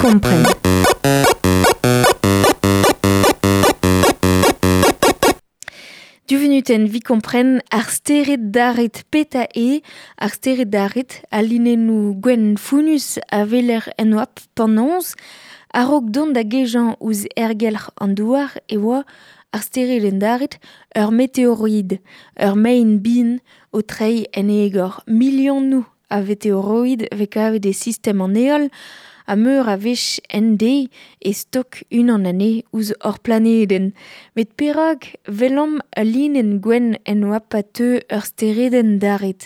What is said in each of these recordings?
kompren. Du venutenn vi kompren ar stered daret peta e, ar stered daret a linennoù gwenn founnus a weler en oabl penaos, a-raok dont da gejañ ouzh aergelc'h an douar e oa ar steredenn daret ur meteoroid, ur maen bihan o treiñ en egor. Milionoù a veteoroid vez kavet e sistem an heol ha meur a wech en deiz e stok unan anezhe ouzh hor planedenn. Met perak 'welomp ul linenn gwenn en oabl pa teu ur steredenn daret?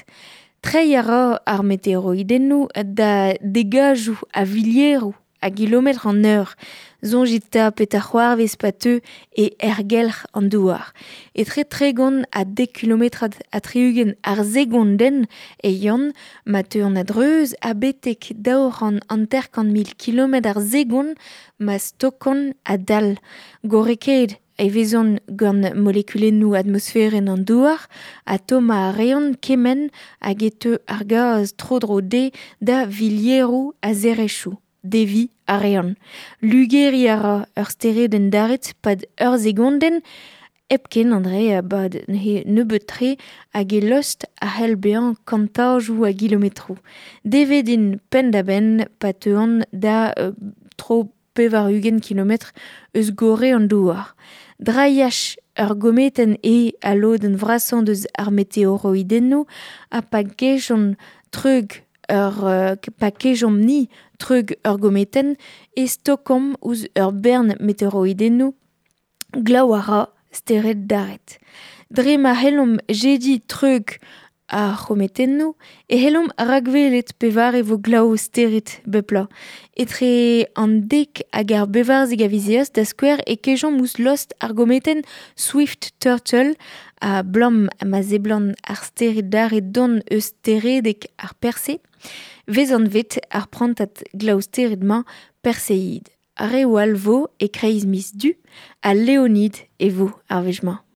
Treiñ a ra ar meteoroidennoù da degazoù a vilieroù a gilometr an eur. Soñjit 'ta petra c'hoarvez pa teu e aergelc'h an douar. Etre 30 ha dek kilometrad ha 60 ar segondenn e yann ma teuont a-dreuz ha betek 250 000 kilometr ar segond ma stokont a-dal. Gorrekaet e vezont gant molekulennoù atmosferenn an douar ha tommañ a reont kement hag e teu ar gaz tro-dro dezhe da vilieroù a zerezhioù. Deviñ a reont. Lugeriñ a ra ur steredenn daret 'pad ur segondenn hepken André a-bad neuze nebeut-tre hag e lost a c'hell bezañ kantajoù a gilometroù. Devet int penn-da-benn pa teuont da tro 80 kilometr eus gorre an douar. Drailhaj ur gometenn eo al lodenn vrasañ deus ar meteoroidennoù ha pa gejont treug ur pa kejomp-ni treug ur gometenn e stokomp ouzh ur bern meteoroidennoù glav a ra stered daret. Dre ma c'hellomp jediñ treug ar c'hometennoù e c'hellomp rakwelet pevare vo glav stered bep bloaz. Etre an dek hag ar bevarzek a viz Eost da skouer e kejomp ouzh lost ar gometenn Swift Turtle a blam ma seblant ar stered daret dont eus steredeg ar Perse. Vez anvet ar prantad glav-stered-mañ Perseid. Ar reoù all vo e-kreiz miz Du ha Leonid e vo ar wech-mañ.